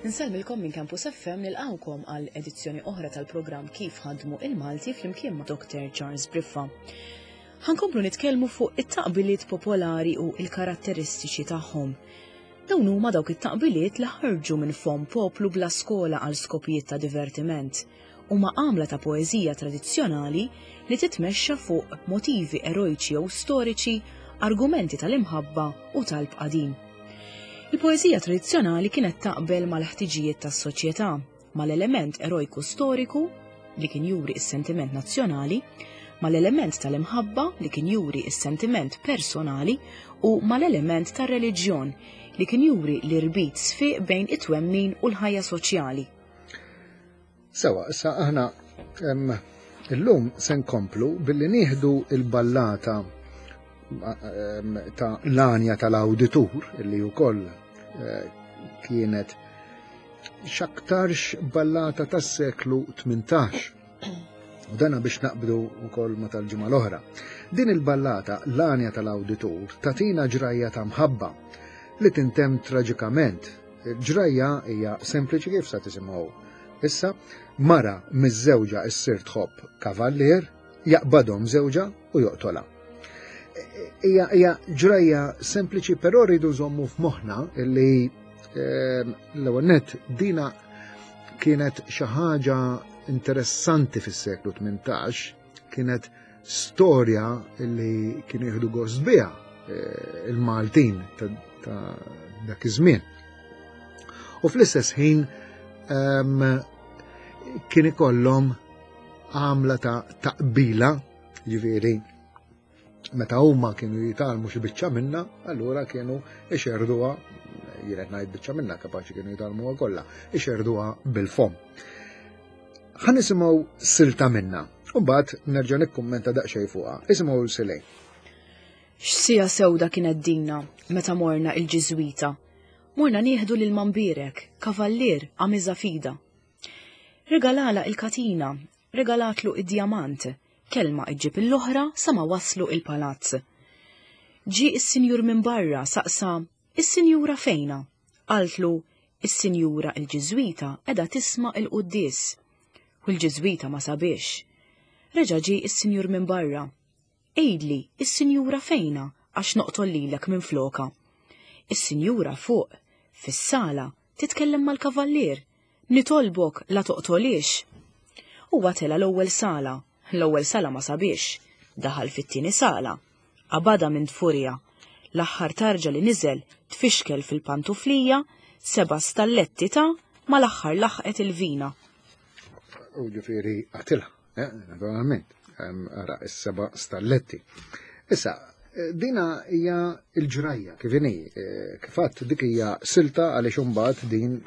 Insellmilkom minn Campus FM nilqgħukom għal edizzjoni oħra tal-programm Kif ħadmu il-Malti flimkien ma' Dr. Charles Briffa. Ħankomplu nitkellmu fuq it-taqbiliet popolari u il-karatteristiċi tagħhom. Dawn huma dawk it-taqbiliet li ħarġu minn fomm poplu bla skola għal skopijiet ta' divertiment. Huma għamla ta' poeżija tradizzjonali li titmexxa fuq motivi erojċi jew storiċi, argumenti tal-imħabba u talb qadim. Il-poeżija tradizzjonali kienet taqbel mal-ħtiġijiet tas-soċjetà, mal-element erojku storiku li kien juri s-sentiment nazzjonali, mal-element tal-imħabba li kien juri s-sentiment personali u mal-element tar-reliġjon li kien juri l-irbit sfiq bejn it-twemmin u l-ħajja soċjali. Sewa, issa aħna illum se nkomplu billi nieħdu il-ballata ta' l-anja tal-awditur illi wkoll eh, kienet x'aktarx ballata tas-seklu 18. U dana biex naqbdu wkoll ma tal-ġimgħa l-oħra. Din il-ballata l-anja tal-awditur tatina ġrajja ta' mħabba li tintemm traġikament Il-ġrajja hija sempliċi kif sa tisimgħu. Issa, mara miż-żewġa issir tħobb kavallier, jaqbadhom żewġa u joqtolha. Hija hija ġrajja sempliċi però rridu nżommu f'moħħna li ehm, l-ewwel nett dina kienet xi ħaġa interessanti fis-seklu 18, kienet storja li kienu jieħdu gost biha eh, il-Maltin ta' dak iż-żmien. U fl-istess ħin ehm, kien ikollhom għamla ta' taqbila, ġifieri meta huma kienu jitalmu xi biċċa minna, allura kienu ixerduha, jien qed ngħid biċċa minna kapaċi kienu jitalmuha kollha, ixerduha bil-fom. Ħa nisimgħu silta minna, u mbagħad nerġa' nikkummenta daqsxejn fuqha. Isimgħu silej. X'sija sewda kienet dina meta morna il-Ġiżwita. Morna nieħdu lil Mambierek, kavallier għamiża fida. Regalala il-katina, regalatlu id-djamant, kelma iġġib l-oħra sa ma waslu il-palazz. Ġie is-sinjur minn barra saqsa, is-sinjura fejna? Qaltlu, is-sinjura il-Ġiżwita qiegħda tisma' il-quddies. U l-Ġiżwita ma sabiex. Reġa' ġie is-sinjur minn barra. Għidli, is-sinjura fejna għax noqtol lilek minn floka. Is-sinjura fuq, fis-sala, titkellem mal-kavallier. Nitolbok la toqtolix. Huwa tela' l-ewwel sala, l-ewwel sala ma sabiex. Daħal fit-tieni sala. Qabadha minn dfurija. L-aħħar tarġa li niżel tfixkel fil-pantuflija, seba' stalletti ta' mal-aħħar laħqet il-vina. U ġifieri qatilha, eh, naturalment, ara is-seba' stalletti. Issa, eh, dina hija l-ġrajja kif inhi, eh, kif għadt dik hija silta għaliex imbagħad din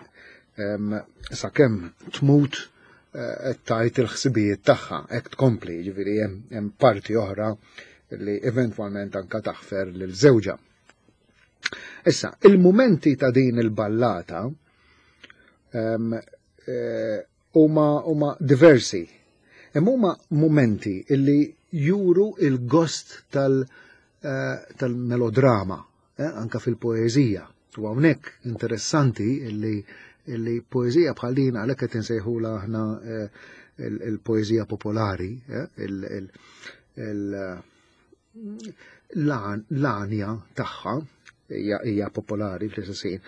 sakemm tmut qed tgħid il-ħsibijiet tagħha, hekk tkompli, jiġifieri hemm parti oħra li eventwalment anka taħfer lil żewġha. Issa, il-mumenti ta' din il-ballata ehm, eh, huma huma diversi. Imma huma mumenti illi juru il-gost tal- eh, tal-melodrama eh, anka fil-poeżija. U hawnhekk interessanti illi illi poeżija bħal din għalhekk qed insejħula aħna eh, il-poeżija popolari, eh, l-għanja tagħha hija popolari fl-istess ħin.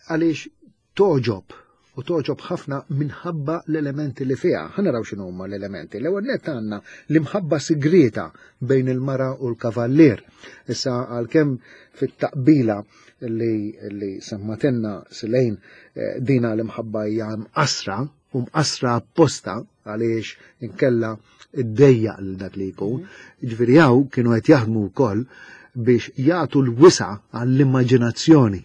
Għaliex Togħġob, u togħġob ħafna minħabba l-elementi li fiha. Ħa naraw x'inhu huma l-elementi. L-ewwel nett għandna l-imħabba sigrieta bejn il-mara u l-kavallier. Issa għalkemm fit-taqbila li, li semmatenna Silejn eh, dina l-imħabba hija mqasra u mqasra apposta għaliex inkella iddejjaq lil dak li jkun. Mhm. Ġifieri hawn kienu qed jaħdmu wkoll biex jagħtu l-wisa għall-immaġinazzjoni.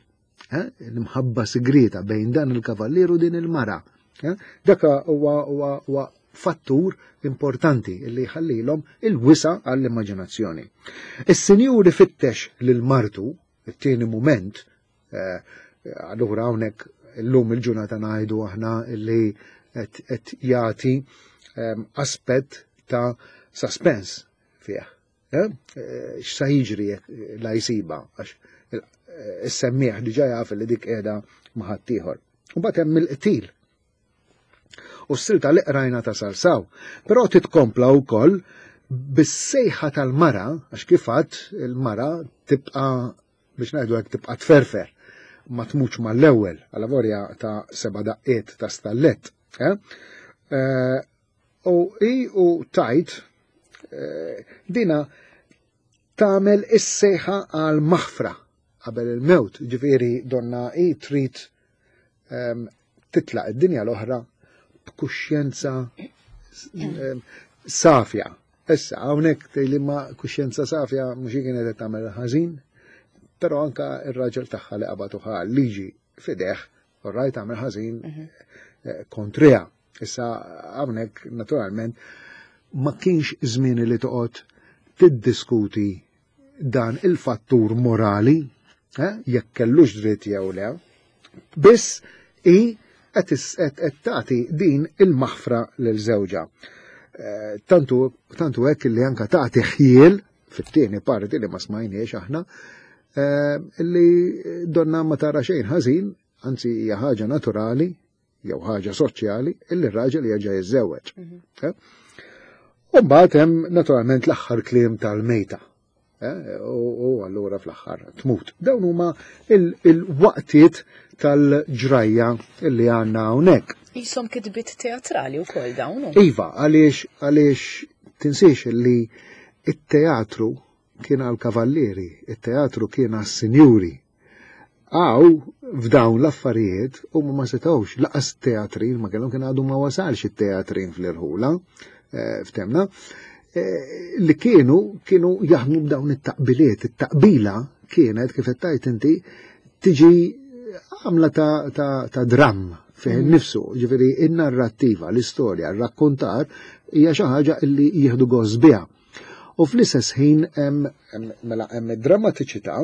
Eh, l-imħabba sigrieta bejn dan il-kavallier u din il-mara. Eh, dak huwa fattur importanti li jħallilhom il-wisa għall-immaġinazzjoni. Is-sinjur ifittex lil martu, it-tieni mument, eh, allura hawnhekk illum il-ġurnata ngħidu aħna li qed jagħti aspett ta' suspense fih. Eh, eh, x'sa jiġri jekk la jsiba għax eh, is-semmieħ diġà jaf li dik qiegħda ma' ħaddieħor. U mbagħad hemm il-qtil. U s-silta li qrajna ta' Salsaw. Però titkompla wkoll bis-sejħa tal-mara, għax kif għadt il-mara tibqa' biex ngħidu hekk tibqa' tferfer ma tmutx mal-ewwel għal ta' seba' daqqiet ta' stallett. Eh? Eh, u i u tajt eh, dina tagħmel is-sejħa għal maħfra qabel il-mewt, ġifieri donna i trid ehm, titlaq id-dinja l-oħra b'kuxjenza ehm, safja. Issa, hawnhekk tgħidli ma kuxjenza safja mhux kienet qed tagħmel ħażin, però anka ir-raġel tagħha li qabad uħa liġi fideħ, orrajt għamel ħażin mhm. eh, kontriha. Issa hawnhekk naturalment ma kienx żmien li toqgħod tiddiskuti dan il-fattur morali, eh, jekk kellux dritt jew le, biss i qed tagħti din il-maħfra lil żewġha. Eh, tantu tantu hekk li anka tagħti ħjiel fit-tieni parti li ma smajniex aħna, eh, li donna ma tara xejn ħażin, anzi hija ħaġa naturali jew ħaġa soċjali illi r-raġel jerġa' jiżżewweġ. Mhm. Eh? U mbagħad hemm naturalment l-aħħar kliem tal-mejta. Eh, u allura fl-aħħar tmut. Dawn huma il-waqtiet tal-ġrajja illi għandna hawnhekk. Jisom kitbit teatrali wkoll dawn. Iva, għaliex għaliex tinsiex li it-teatru kien għal kavallieri, it-teatru kien għas sinjuri. Għaw, f'dawn l-affarijiet, huma ma setgħux, laqas teatrin ma kellhom kien għadu ma wasalx it-teatrin fl-irħula, eh, ftemna, eh, li kienu kienu jaħdmu b'dawn it-taqbiliet. It-taqbila kienet, kif qed tgħid inti, tiġi għamla ta', ta, ta dramm fih mm. nifsu, ġifieri in-narrattiva, l-istorja, r-rakkontar hija xi ħaġa li jieħdu gost biha. U fl-istess ħin hemm mela hemm id-drammatiċità,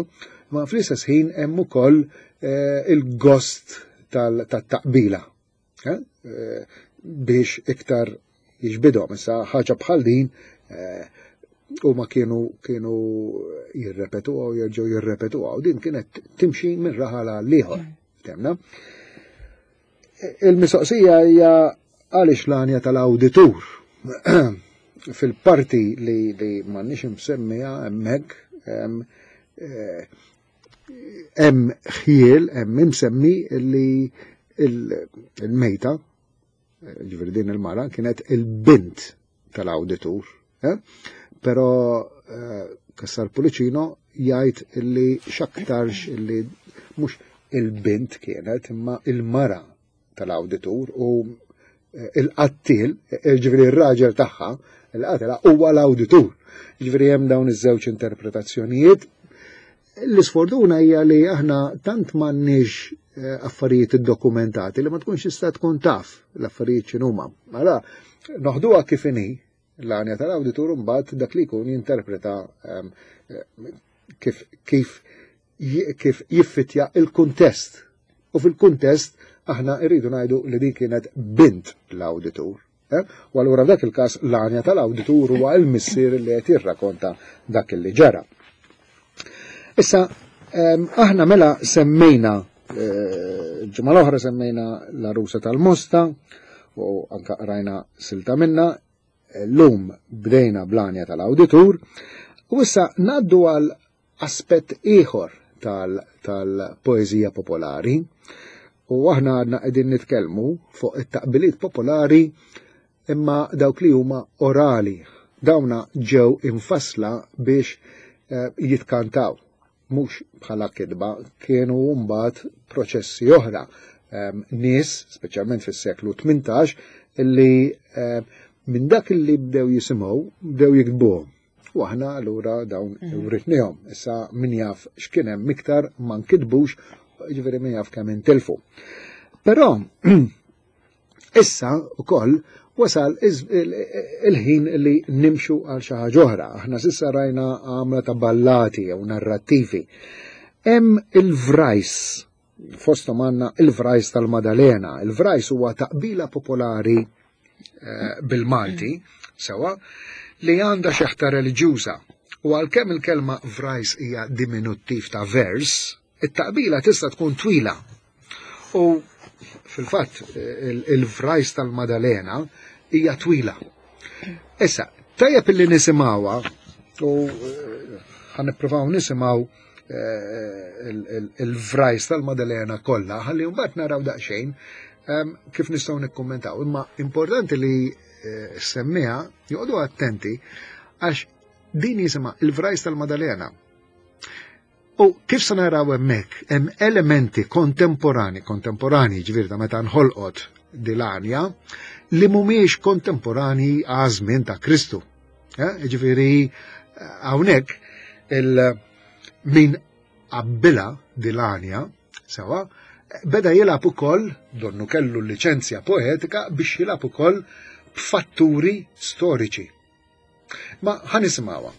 ma fl-istess ħin hemm ukoll eh, il-gost tat-taqbila eh, eh, biex iktar jiġbidhom. Issa ħaġa bħal din huma kienu kienu jirrepetuha u jerġgħu jirrepetuha u din kienet timxi minn raħal għal ieħor. Mm. Temna. Il-mistoqsija hija għaliex l-għanja tal-awditur fil-parti li, li m'għandniex imsemmija hemmhekk eh, hemm ħjiel, hemm imsemmi li il-mejta, ġifieri din il-mara, kienet il-bint tal-awditur. Eh? Però eh, Kassar Pulicino jgħid illi x'aktarx illi mhux il-bint kienet imma il-mara tal-awditur u eh, il-qattil, ġifieri r-raġel tagħha, il-qatela huwa l-awditur. Ġifieri hemm dawn iż-żewġ interpretazzjonijiet. L-isfortuna hija li aħna tant m'għandniex eh, affarijiet iddokumentati li ma tkunx tista' tkun taf l-affarijiet x'inhuma. Mela, noħduha kif inhi l-għanja tal-awditur mbagħad dak li jkun jinterpreta ehm, eh, kif kif kif jiffitja il-kuntest. U fil-kuntest aħna rridu ngħidu li din kienet bint l-awditur. Eh? U allura f'dak il-każ l-għanja tal-awditur huwa l-missier li qed jirrakonta dak li ġara. Issa, ehm, aħna mela semmejna eh, ġimgħa l-oħra semmejna l-arusa tal-Mosta u anka rajna silta minna, l-lum bdejna bl-għanja tal-awditur, u issa naddu għal aspett ieħor tal-poeżija popolari. U aħna għadna qegħdin nitkellmu fuq it-taqbiliet popolari imma dawk li huma orali. Dawna ġew infassla biex eh, jitkantaw, mhux bħala kitba, kienu mbagħad proċessi oħra. Ehm, nies, speċjalment fis-seklu 18, li eh, minn dak li bdew jisimgħu bdew jiktbuhom. U aħna allura dawn mm. writnihom. Issa min jaf x'kien hemm iktar ma nkitbux, ġifieri min jaf kemm intilfu. Però issa wkoll wasal il-ħin li nimxu għal xi ħaġa oħra. Aħna s'issa rajna għamla ta' ballati jew narrattivi. Hemm il-vrajs fosthom għandna il-vrajs tal-Madalena. Il-vrajs huwa taqbila popolari eh, bil-Malti, sewa, li għandha xeħta reliġjuża. U għalkemm il-kelma vrajs hija diminuttiv ta' vers, it-taqbila tista' tkun twila. U Fil-fatt, il-vrajs tal-Madalena hija twila. Issa, tajjeb illi nisimgħuha u eh, ħa nippruvaw nisimgħu eh, il-vrajs tal-Madalena kollha, ħalli mbagħad naraw daqsxejn ehm, kif nistgħu nikkummentaw. Imma importanti li eh, semmiha joqogħdu attenti għax din jisimha il-vrajs tal-Madalena. U kif se naraw hemmhekk hemm elementi kontemporani, kontemporani ġifieri ta' meta nħolqot dilanja, li mhumiex kontemporani għaż-żmien ta' Kristu. Eh, ġifieri hawnhekk il min qabbilha dilanja sewa beda jilgħab ukoll donnu kellu l-liċenzja poetika biex jilgħab ukoll b'fatturi storiċi. Ma ħa nisimgħuha.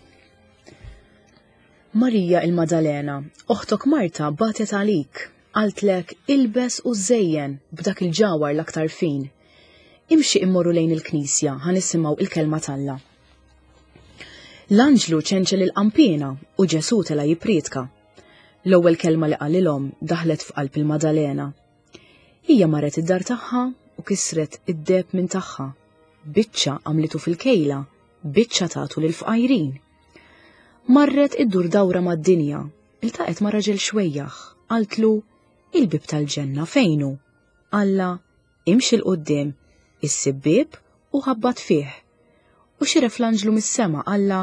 Marija il-Madalena, oħtok Marta bagħtet għalik, qaltlek ilbes u żejjen b'dak il-ġawhar l-aktar fin. Imxi immorru lejn il-knisja ħa nisimgħu il-kelma t'Alla. L-anġlu ċenċel il-qanpiena u Ġesù tela' jipprietka. L-ewwel kelma li qalilhom daħlet f'qalb il-Madalena. Hija marret id-dar tagħha u kisret id-deheb minn tagħha. Biċċa għamlitu fil-kejla, biċċa tatu lill-fqajrin. Marret iddur dawra mad-dinja, iltaqgħet ma' raġel xwejjaħ, qaltlu, Il-bieb tal-ġenna fejn hu? Qallha, Imxi 'l quddiem, issib bieb u ħabbat fih. U xiref l-anġlu mis-sema qallha,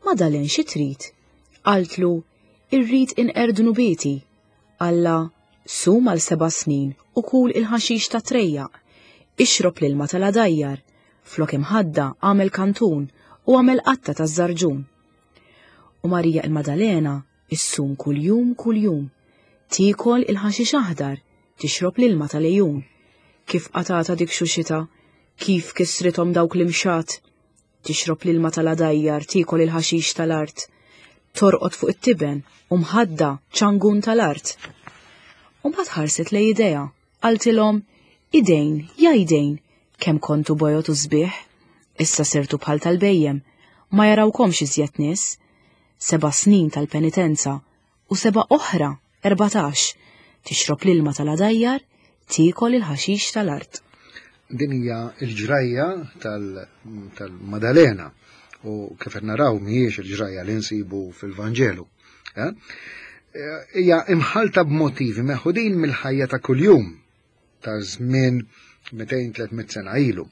Madalen xi trid? Qaltlu, Irrid inqerr dnubieti. Qallha, Sum għal seba' snin u kul il-ħaxix tat-trejjaq. Ixrob l-ilma tal-għadajjar. Flok imħadda agħmel kantun u agħmel qatta taż-żarġun. U Marija il-Madalena issum kuljum kuljum. Tiekol il-ħaxix aħdar, tixrob l-ilma tal-għejun. Kif qatgħatha dik xuxitha, kif kissrithom dawk l-imxat, Tixrob l-ilma tal-għadajjar, tiekol il-ħaxix tal-art. Torqod fuq it-tiben u mħadda ċangun tal-art. U mbagħad ħarset lejn idejha, qaltilhom, Idejn, ja idejn, kemm kontu bojod u sbieħ, issa sirtu bħal tal-bhejjem, ma jarawkomx iżjed nies. Seba' snin tal-penitenza u seba' oħra, 14, tixrob l-ilma tal-għadajjar, tiekol il-ħaxix tal-art. Din hija l-ġrajja tal-Madalena u kif qed naraw mhijiex il-ġrajja li nsibu fil-Vanġelu. Eh? Hija imħalta b'motivi meħudin mill-ħajja ta' kuljum ta' żmien 200-300 sena ilu.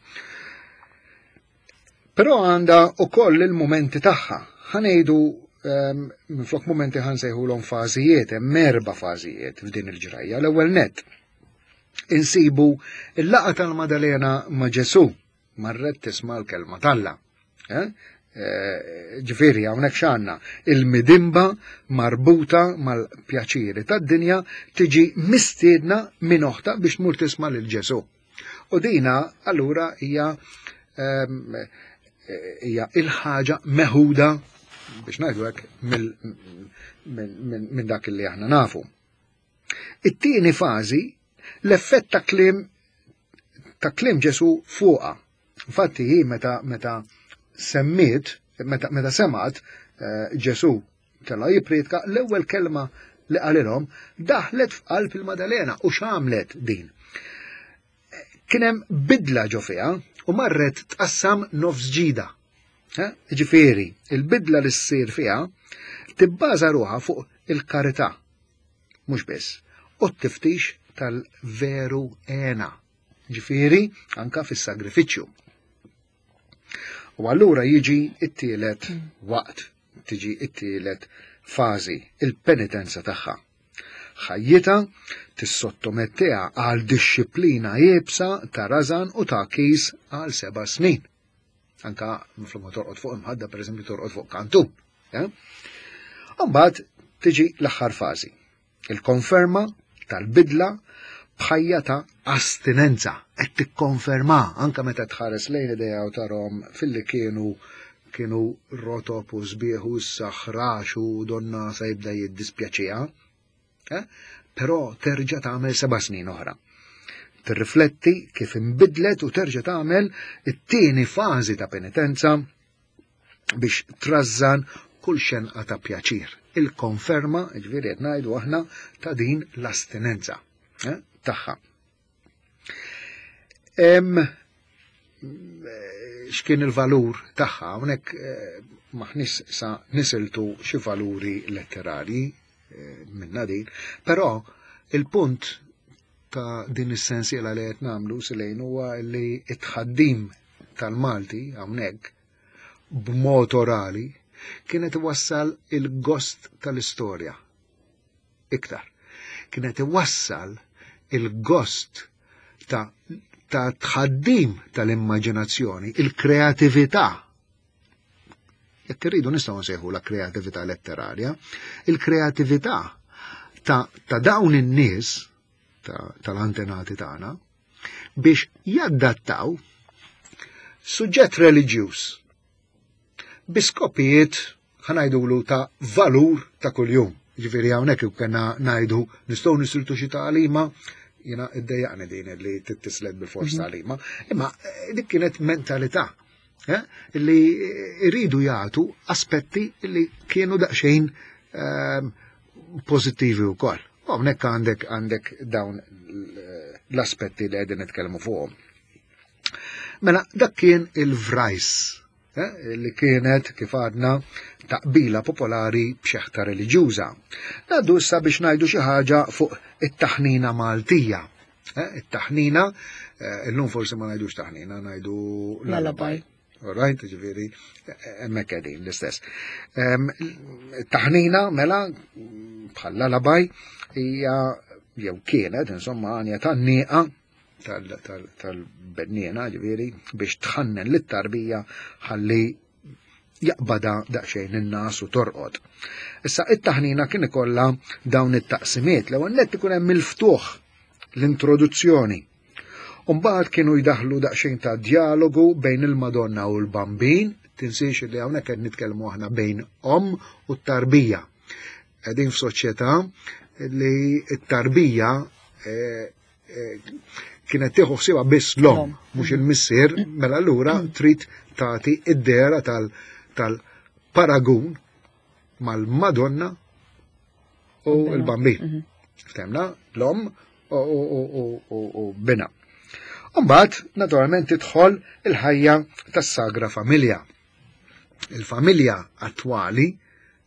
Però għandha ukoll il-mumenti tagħha. Ħa ngħidu ehm, minflok mumenti ħa nsejħulhom fażijiet, hemm erba' fażijiet f'din il-ġrajja. L-ewwel nett insibu il-laqgħa tal-Madalena ma' Ġesù marret tisma' l-kelma t'Alla. Eh? Eh, ġifieri hawnhekk x'għandna il-midimba marbuta mal-pjaċiri tad-dinja tiġi mistiedna minn oħta biex tmur tisma' lil Ġesù. U dina allura hija ehm, hija il-ħaġa meħuda biex ngħidu hekk minn dak li aħna nafu. It-tieni fażi l-effett ta' kliem ta' kliem Ġesu fuqha. Infatti hi meta meta semmiet, meta, meta semat eh, Ġesu tela jippriedka l-ewwel kelma li qalilhom daħlet f'qalb il-Madalena u x'għamlet din. Kien hemm bidla ġo fiha u marret tqassam nofs ġida. Ġifieri, il-bidla li ssir fiha tibbaża ruħha fuq il-karità, mhux biss, u t-tiftix tal-veru għena, ġifieri anka fis-sagrifiċċju. U allura jiġi it-tielet waqt, tiġi it-tielet fażi, il-penitenza tagħha. Ħajjitha tissottomettiha għal dixxiplina iebsa ta' rażan u ta' kis għal seba' snin. Anka minflok ma torqod fuq imħadda, pereżempju torqod fuq kantun. Eh? Mbagħad tiġi l-aħħar fażi, Il-konferma tal-bidla b'ħajja ta' astinenza qed tikkonferma anke meta tħares lejn idejha u tarhom filli kienu kienu rotob u sbieħ u issa ħrax u donna se jibda jiddispjaċiha. Eh? Però terġa' tagħmel seba' snin oħra. Tirrifletti kif inbidlet u terġa' tagħmel it-tieni fażi ta' penitenza biex trażżan kull xenqa ta' pjaċir. Il-konferma, ġifieri qed ngħidu aħna, ta' din l-astinenza eh, tagħha. Hemm x'kien il-valur tagħha, hawnhekk maħniex sa nisiltu xi valuri letterarji minna din, però il-punt ta' din is-sensiela li qed nagħmlu silejn huwa li t-tħaddim tal-Malti hawnhekk b'mod orali kienet iwassal il-gost tal-istorja iktar. Kienet iwassal il-gost ta' ta' tħaddim tal-immaġinazzjoni, il-kreatività. Jekk irridu nistgħu nsejħu la kreatività letterarja, il-kreatività ta', ta dawn in-nies tal-antenati ta tagħna biex jaddattaw suġġett reliġjuż bi skopijiet ħanajdulu ta' valur ta' kuljum. Ġifieri hawnhekk kena ngħidu nistgħu nisiltu xi tagħlima, jiena iddejjaqni din li tittislet bil-fors tagħlima, imma eh, dik kienet mentalità eh, li iridu jagħtu aspetti li kienu daqsxejn ehm, pożittivi wkoll. U hawnhekk għandek għandek dawn l-aspetti li qegħdin nitkellmu fuqhom. Mela, dak kien il-vrajs eh, li kienet, kif għadna, taqbila popolari b'xeħta reliġjuża. Ngħaddu issa biex ngħidu xi ħaġa fuq it-taħnina Maltija. Eh, it-taħnina, eh, illum forsi ma ngħidux taħnina, ngħidu lullaby. All right, ġifieri, hemmhekk qegħdin l-istess. Taħnina mela bħal lullaby hija jew kienet insomma għanja tan-nieqa tal-benniena ġifieri biex tħannen lit-tarbija ħalli jaqbada daqsxejn in-nas u torqod. Issa it-taħnina kien ikollha dawn it-taqsimiet l-ewwel nett ikun hemm il-ftuħ l-introduzzjoni. Umbagħad kienu jdaħlu daqsxejn ta' dialogu bejn il-Madonna u l-Bambin, tinsiex li hawnhekk qed nitkellmu aħna bejn omm u t-tarbija. Qegħdin f'soċjetà li t-tarbija eh, eh, kienet tieħu ħsiebha biss l-omm, mhux il-missier, mela allura trid tagħti id-dehra tal-paragun mal-Madonna u l-Bambin. Mhm. Ftemna, l-omm u bina. Umbagħad, naturalment, tidħol il-ħajja tas-Sagra Familja. Il-familja attwali,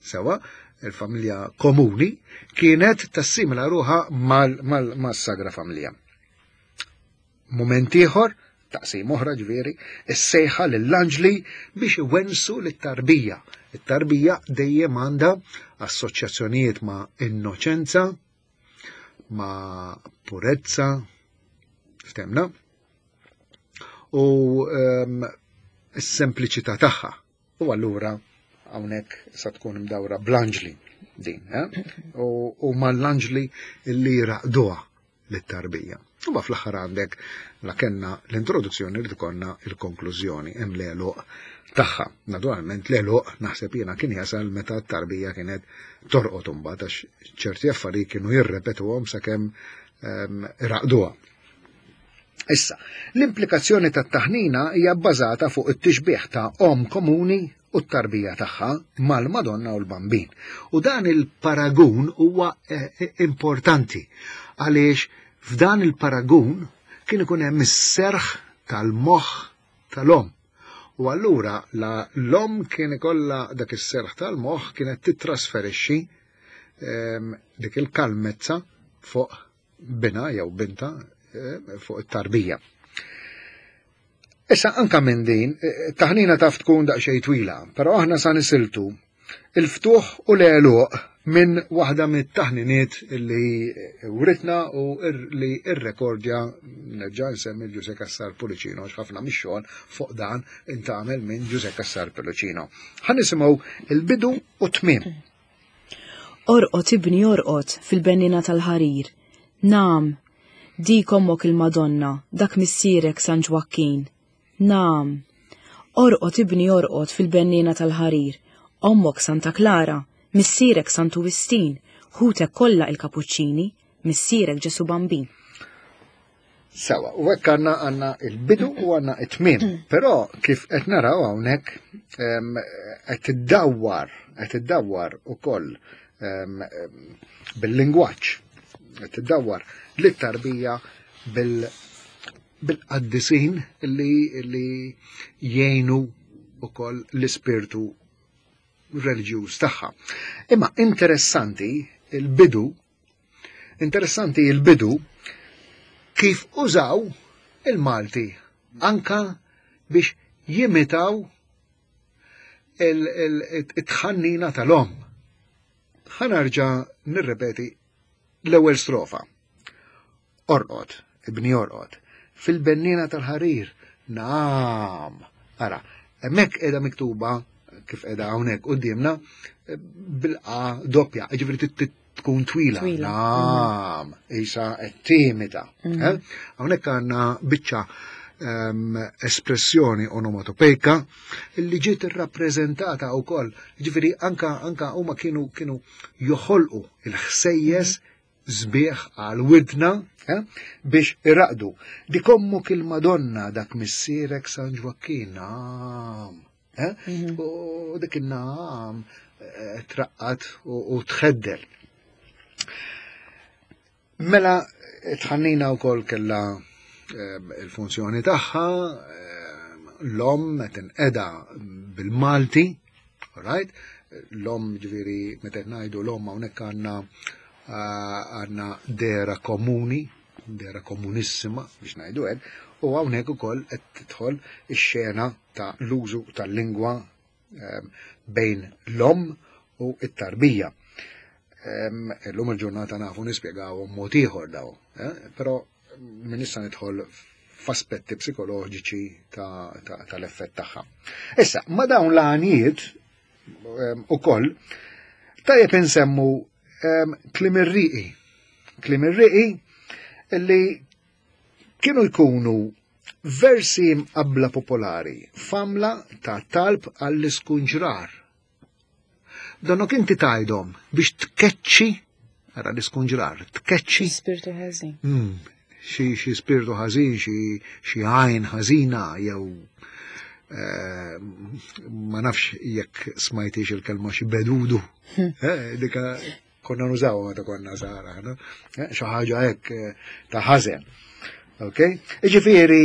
sewa, il-familja komuni, kienet tassimila ruħa mal-Sagra Familja. Mument ieħor, taqsim oħra ġifieri, is-sejħa lill-anġli biex iwensu lit-tarbija. It-tarbija dejjem għandha assoċjazzjonijiet ma' innoċenza, ma' purezza, ftemna, u um, s-sempliċità tagħha. U allura hawnhekk sa tkun imdawra bl-anġli din, eh? u, u mal-anġli li raqduha lit-tarbija. U ma fl-aħħar għandek la kenna l-introduzzjoni li tkonna il-konklużjoni hemm l-għeluq tagħha. Naturalment l-għeluq naħseb jiena kien jasal meta t-tarbija kienet torqod imbagħad għax ċerti affarijiet kienu jirrepetuhom sakemm ehm, iraqduha. Issa, l-implikazzjoni tat-taħnina hija bbażata fuq it-tixbih ta' omm komuni u t-tarbija tagħha mal-Madonna u l-Bambin. U dan il-paragun huwa eh, eh, importanti għaliex f'dan il-paragun kien ikun hemm is-serħ tal-moħħ tal-omm. U allura la l-omm kien ikollha dak is-serħ tal-moħħ kienet titrasferixxi ehm, dik il-kalmezza fuq bina jew binta eh, fuq it-tarbija. Issa anka minn din, eh, taħnina taf tkun daqsxejn twila, però aħna sa nisiltu il-ftuħ u l-għeluq minn waħda mit-taħniniet li writna u li irrekordja nerġa' nsemmi Ġuse Cassar Pullicino għax ħafna mix-xogħol fuq dan intagħmel minn Ġuse Cassar Pullicino. Ħa nisimgħu il-bidu u t-tmiem. Orqod ibni orqod fil-benniena tal-ħarir. Nagħam. Dik ommok il-Madonna, dak missierek San Ġwakkin. Nagħam. Orqod ibni orqod fil-benniena tal-ħarir. Ommok Santa Klara, missierek Santu Wistin, ħutek kollha il-Kapuċċini, missierek Ġesu Bambin. Sewa, u hekk għandna għandna il-bidu u għandna it-tmiem. Però kif qed naraw hawnhekk qed tiddawwar, qed tiddawwar ukoll bil-lingwaġġ, qed tiddawwar lit-tarbija bil bil-qaddisin li, li jgħinu ukoll l-ispirtu reliġjuż tagħha. Imma interessanti il-bidu, interessanti il-bidu kif użaw il-Malti anka biex jimitaw il-tħannina tal-om. Ħanarġa nirrepeti l-ewwel strofa. Orqod, ibni orqod, fil-benniena tal-ħarir, naam. Ara, hemmhekk qiegħda miktuba kif qiegħda hawnhekk quddiemna bil-qa doppja, jiġifieri tkun twila. Naam, isa qed timita. Mhm. Eh? Hawnhekk għandna biċċa ehm, espressjoni onomatopejka li ġiet irrappreżentata wkoll, ġifieri anka anka huma kienu kienu joħolqu il-ħsejjes mhm. sbieħ għal widna eh, biex iraqdu. Dik ommok il-Madonna dak missierek San Ġwakkin, nam. Eh? Mhm. U dik in-nam eh, traqqat u tħeddel. Mela tħannina wkoll kellha il-funzjoni tagħha, l-om qed inqeda bil-Malti, right? L-om ġifieri meta qed ngħidu l-om hawnhekk għandna għandna dera komuni, dera komunissima biex ngħidu hekk, u hawnhekk ukoll qed tidħol ix-xena ta' l-użu tal-lingwa bejn l-om u t-tarbija. Illum il-ġurnata nafu nispjegaw mod ieħor daw, eh? però min issa nidħol f'aspetti psikoloġiċi tal-effett tagħha. Issa, ma dawn l-għanijiet ukoll tajjeb insemmu klim ir-riqi. Klim ir-riqi li kienu jkunu versi mqabbla popolari f'għamla ta' talb għall-iskunġrar. Donnok inti tgħidhom biex tkeċċi, ara l-iskunġrar, tkeċċi. Spirtu ħażin. Mm, xi xi spirtu ħażin, xi xi għajn ħażina jew eh, ma nafx jekk smajtix il-kelma xi bedudu. Hmm. Eh, dika konna nużaw meta konna żgħar aħna, eh, xi ħaġa hekk eh, ta' ħażen. Ok? Iġifieri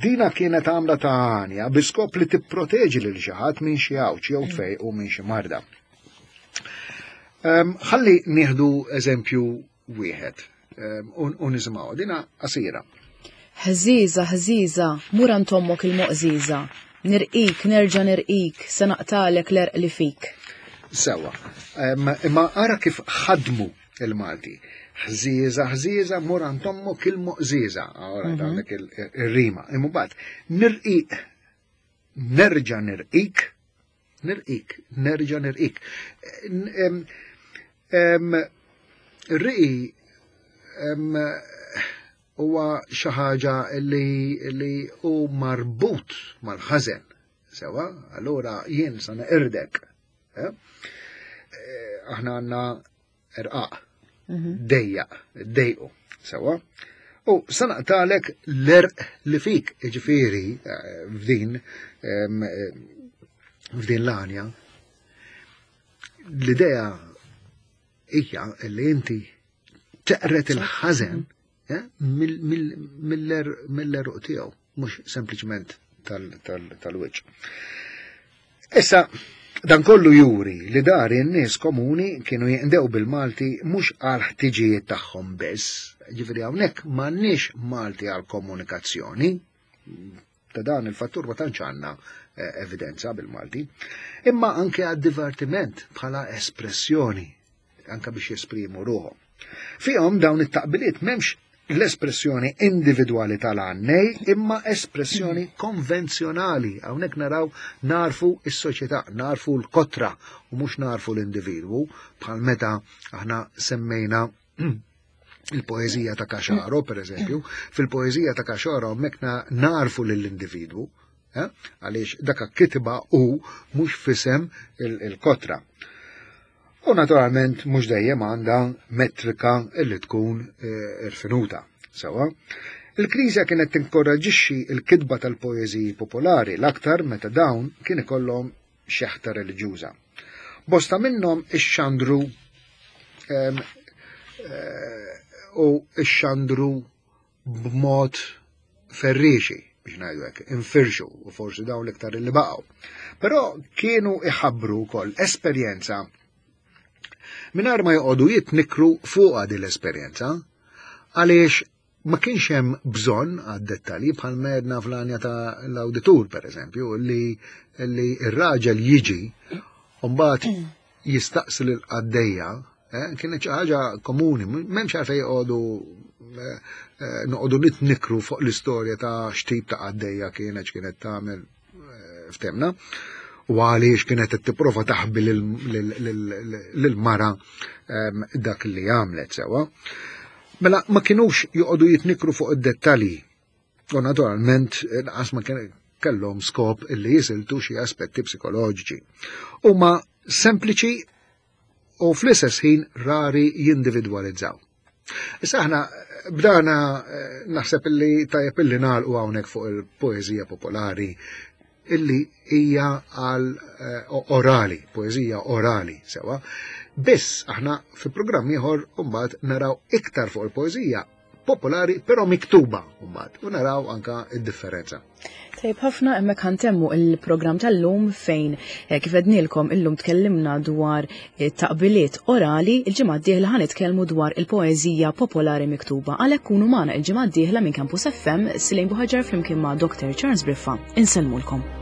dina kienet għamla ta' għanja bi skop li tipproteġi lil xi ħadd minn xi għawġ jew tfejqu minn xi marda. Ehm, ħalli nieħdu eżempju wieħed ehm, u nisimgħu dina qasira. Ħżiża, ħżiża, mur għand ommok il-moqżiża. Nirqik, nerġa' nirqik, se naqtalek l-erq li fik. Sewa, imma ara kif ħadmu il-Malti. Ħżiża, ħżiża, mur għand ommok il-moqżiża. Ora mhm. għandek il-rima. Imma mbagħad nirqiq, nerġa' nirqik, Nirqik, nerġa' nirqik. Riqi huwa xi ħaġa li li hu marbut mal-ħażen. Sewa, allura jien sa neqirdek. Eh? Eh, aħna għandna irqaq, mhm. dejjaq, dejqu, sewa. U sanaqtalek l-erq li fik, ġifiri, eh, f'din, eh, f'din l-għanja, l-idea hija li inti teqret il-ħażen eh, mill-eruq tiegħu, mhux sempliċement tal-wiċċ. Issa, dan kollu juri li dari n-nies komuni kienu jinqdew bil-Malti mhux għal ħtiġijiet tagħhom biss, ġifieri hawnhekk m'għandniex Malti għal komunikazzjoni, ta' dan il-fattur ma tantx għandna eh, evidenza bil-Malti, imma anke għad divertiment bħala espressjoni anka biex jesprimu ruħhom. Fihom dawn it-taqbiliet m'hemmx l-espressjoni individwali tal-għannej imma espressjoni konvenzjonali. Hawnhekk naraw narfu s-soċjetà, narfu l-kotra u mhux narfu l-individwu bħal meta aħna semmejna il-poezija ta' Kaxaro, per eżempju, fil-poezija ta' Kaxaro hemmhekk narfu lill-individwu, eh? għaliex daka kitba u mhux fisem il-kotra. U naturalment mhux dejjem għandha metrika illi tkun eh, irfinuta. Sewa. Il-Knisja kienet tinkoraġixxi l-kitba tal-poeżiji popolari l-aktar meta dawn kien ikollhom xeħta reliġjuża. Bosta minnhom ixxandru eh, u ixxandru b'mod ferriexi biex ngħidu hekk, infirxu u forsi dawn l-iktar li baqgħu. Però kienu iħabbru wkoll esperjenza mingħajr ma joqogħdu jitnikru fuqha din l-esperjenza għaliex ma kienx hemm bżonn għad-dettalji bħal medna fl-għanja ta' l-awditur pereżempju li li r-raġel jiġi u mbagħad jistaqsi lil qaddejja eh, kienet xi ħaġa komuni, m'hemmx għalfejn joqogħdu eh, eh, noqogħdu nitnikru fuq l-istorja ta' x'tip ta' qaddejja kienet x'kienet tagħmel ftemna u għaliex kienet qed tipprova taħbi lil-mara ehm, dak li għamlet sewa. Mela ma kinux joqogħdu jitnikru fuq id-dettalji. U naturalment lanqas ma kellhom skop illi jisiltu xi aspetti psikoloġiċi. Huma sempliċi u fl-istess ħin rari jindividwalizzaw. Issa aħna bdana eh, naħseb illi tajjeb illi nagħlqu hawnhekk fuq il-poeżija popolari illi hija għal eh, orali, poeżija orali sewa. Biss aħna fi programm ieħor mbagħad naraw iktar fuq il-poeżija popolari però miktuba mbagħad u naraw anka id-differenza. Tajb ħafna hemmhekk ħantemmu il-programm tal-lum fejn eh, kif ednilkom illum tkellimna dwar eh, taqbiliet orali, il-ġimgħa d-dieħla ħanitkellmu dwar il-poeżija popolari miktuba. Għalhekk kunu magħna il-ġimgħa d-dieħla minn Campus FM Silejn Buħaġar flimkien ma' Dr. Charles Briffa. Insellmulkom.